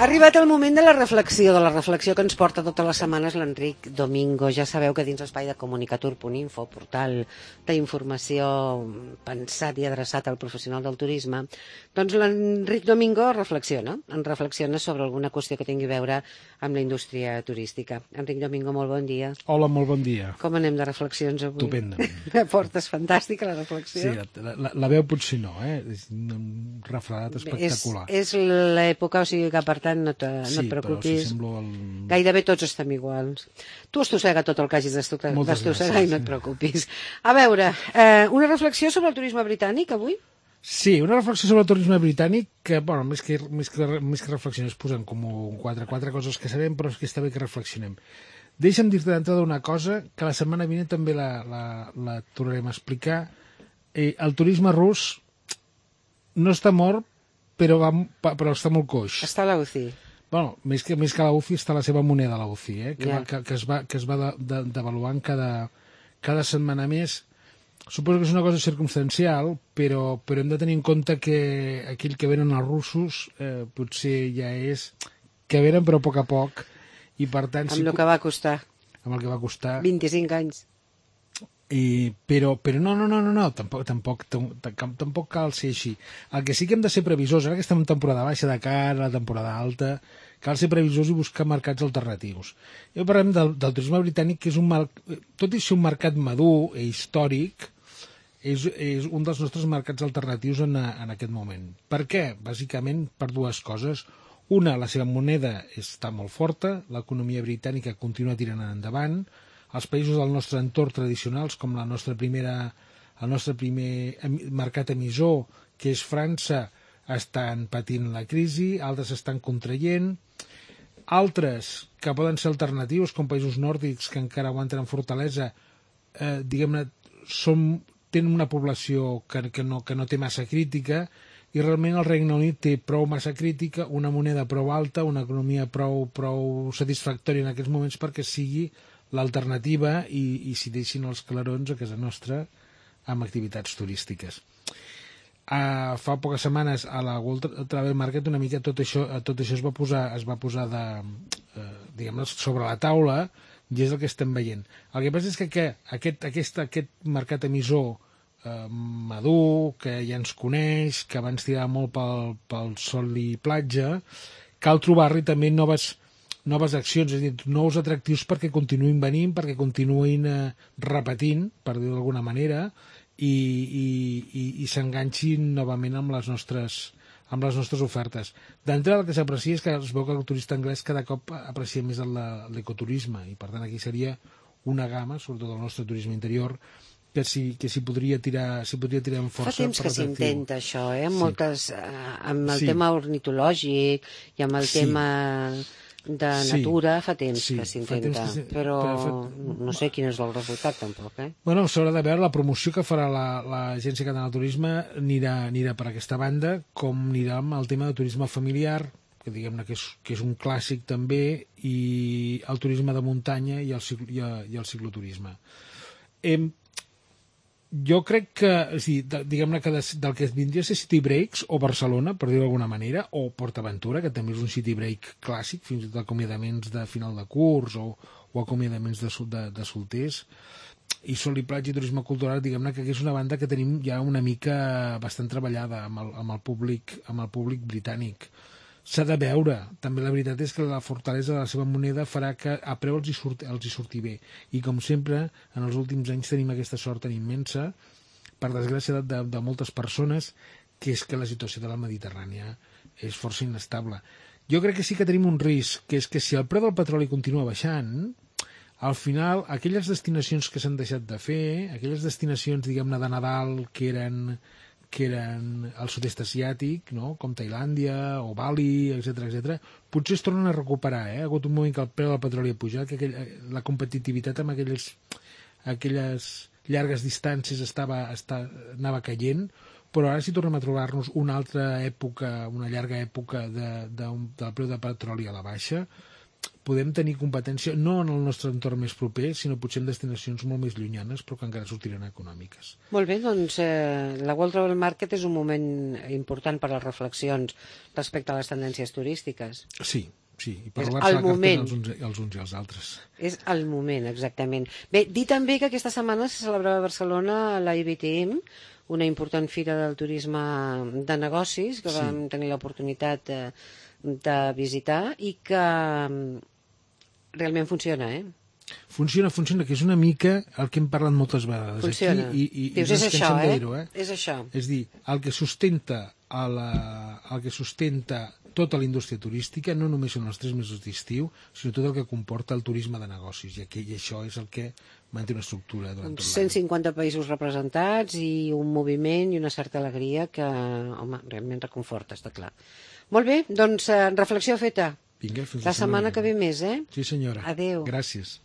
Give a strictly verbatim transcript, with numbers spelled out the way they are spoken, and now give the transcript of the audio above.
Ha arribat el moment de la reflexió, de la reflexió que ens porta totes les setmanes l'Enric Domingo. Ja sabeu que dins l'espai de comunicatur punt info, portal d'informació pensat i adreçat al professional del turisme, doncs l'Enric Domingo reflexiona, en reflexiona sobre alguna qüestió que tingui a veure amb la indústria turística. Enric Domingo, molt bon dia. Hola, molt bon dia. Com anem de reflexions avui? Estupendament. La portes fantàstica, la reflexió. Sí, la, la, la veu potser no, eh? És un refredat espectacular. És, és l'època, o sigui que per tant no, te, no sí, et preocupis. Si el... Gairebé tots estem iguals. Tu estossega tot el que hagis d'estossegar i no et preocupis. A veure, eh, una reflexió sobre el turisme britànic avui? Sí, una reflexió sobre el turisme britànic que, bueno, més que, més que, més que reflexió es posen com quatre, quatre coses que sabem, però és que està bé que reflexionem. Deixa'm dir-te d'entrada una cosa que la setmana vinent també la, la, la tornarem a explicar. Eh, el turisme rus no està mort, però, va, però està molt coix. Està a la U C I. Bueno, més que, més que a la U C I està la seva moneda a la U C I, eh? que, yeah. va, que, que es va, que es va de, de, devaluant cada, cada setmana més. Suposo que és una cosa circumstancial, però, però hem de tenir en compte que aquell que venen els russos eh, potser ja és que venen però a poc a poc, i per tant... Amb si... el que va costar. Amb el que va costar. vint-i-cinc anys. I, però, però no, no, no, no, no tampoc, tampoc, tampoc, tampoc cal ser així. El que sí que hem de ser previsors, ara que estem en temporada baixa de cara, la temporada alta, cal ser previsors i buscar mercats alternatius. Jo parlem del, del turisme britànic, que és un, tot i ser un mercat madur i històric, és, és un dels nostres mercats alternatius en, en aquest moment. Per què? Bàsicament per dues coses. Una, la seva moneda està molt forta, l'economia britànica continua tirant endavant, els països del nostre entorn tradicionals, com la nostra primera, el nostre primer mercat emissor, que és França, estan patint la crisi, altres estan contraient, altres que poden ser alternatius, com països nòrdics que encara aguanten amb fortalesa, eh, diguem-ne, són, tenen una població que, que, no, que no té massa crítica, i realment el Regne Unit té prou massa crítica, una moneda prou alta, una economia prou, prou satisfactòria en aquests moments perquè sigui l'alternativa i, i s'hi deixin els clarons a casa nostra amb activitats turístiques. Uh, fa poques setmanes a la World Travel Market una mica tot això, tot això es va posar, es va posar de, uh, diguem-ne, sobre la taula, i és el que estem veient. El que passa és que, que aquest, aquest, aquest mercat emissor uh, madur, que ja ens coneix, que abans tirava molt pel, pel sol i platja, cal trobar-li també noves noves accions, és a dir, nous atractius perquè continuïn venint, perquè continuïn eh, repetint, per dir-ho d'alguna manera, i, i, i, i s'enganxin novament amb les nostres, amb les nostres ofertes. D'entrada el que s'aprecia és que es veu que el turista anglès cada cop aprecia més l'ecoturisme, i per tant aquí seria una gamma, sobretot el nostre turisme interior, que s'hi que si podria tirar si podria tirar amb força. Fa temps que s'intenta això, eh? Amb, sí. moltes, eh, amb el sí. tema ornitològic i amb el sí. tema de natura, sí. fa temps sí. que s'intenta, si... però, però fa... no sé quin és el resultat tampoc, eh? Bueno, s'haurà de veure, la promoció que farà l'Agència Catalana de Turisme anirà, anirà per aquesta banda, com anirà amb el tema de turisme familiar, que diguem-ne que, és, que és un clàssic també, i el turisme de muntanya i el, ciclo, i el, i el cicloturisme. Hem Jo crec que, és dir, diguem-ne que del que vindria a ser City Breaks o Barcelona, per dir-ho d'alguna manera, o PortAventura, que també és un City Break clàssic, fins i tot acomiadaments de final de curs o, o acomiadaments de, de, de solters, i Sol i Platja i Turisme Cultural, diguem-ne que és una banda que tenim ja una mica bastant treballada amb el, amb el, públic, amb el públic britànic. S'ha de veure. També la veritat és que la fortalesa de la seva moneda farà que a preu els hi, surti, els hi surti bé. I com sempre, en els últims anys tenim aquesta sort tan immensa, per desgràcia de, de, de moltes persones, que és que la situació de la Mediterrània és força inestable. Jo crec que sí que tenim un risc, que és que si el preu del petroli continua baixant, al final, aquelles destinacions que s'han deixat de fer, aquelles destinacions, diguem-ne, de Nadal, que eren... que eren al sud-est asiàtic, no? Com Tailàndia o Bali, etcètera, etcètera, potser es tornen a recuperar. Eh? Ha hagut un moment que el preu del petroli ha pujat, que aquell, la competitivitat amb aquelles, aquelles llargues distàncies estava, estava, anava caient, però ara si tornem a trobar-nos una altra època, una llarga època de, de un, del preu de petroli a la baixa, podem tenir competència no en el nostre entorn més proper, sinó potser en destinacions molt més llunyanes, però que encara sortiran econòmiques. Molt bé, doncs eh, la World Travel Market és un moment important per a les reflexions respecte a les tendències turístiques. Sí, sí, i per És robar-se el la cartera moment. els uns, els uns i els altres. És el moment, exactament. Bé, dir també que aquesta setmana se celebrava a Barcelona la I B T M, una important fira del turisme de negocis que Sí. vam tenir l'oportunitat de, de visitar i que mm, realment funciona, eh? Funciona, funciona, que és una mica el que hem parlat moltes vegades. Funciona. Aquí, i, i, Dius, i no és ens això, cansem de eh? dir-ho, eh? És això. És dir, el que sustenta a la, el que sustenta tota la indústria turística no només són els tres mesos d'estiu, sinó tot el que comporta el turisme de negocis, i, aquí, i això és el que manté una estructura durant tot cent l'any. cinquanta països representats i un moviment i una certa alegria que, home, realment reconforta, està clar. Molt bé, doncs, eh, reflexió feta. Vinga, fins La setmana que ve més, eh? Sí, senyora. Adéu. Gràcies.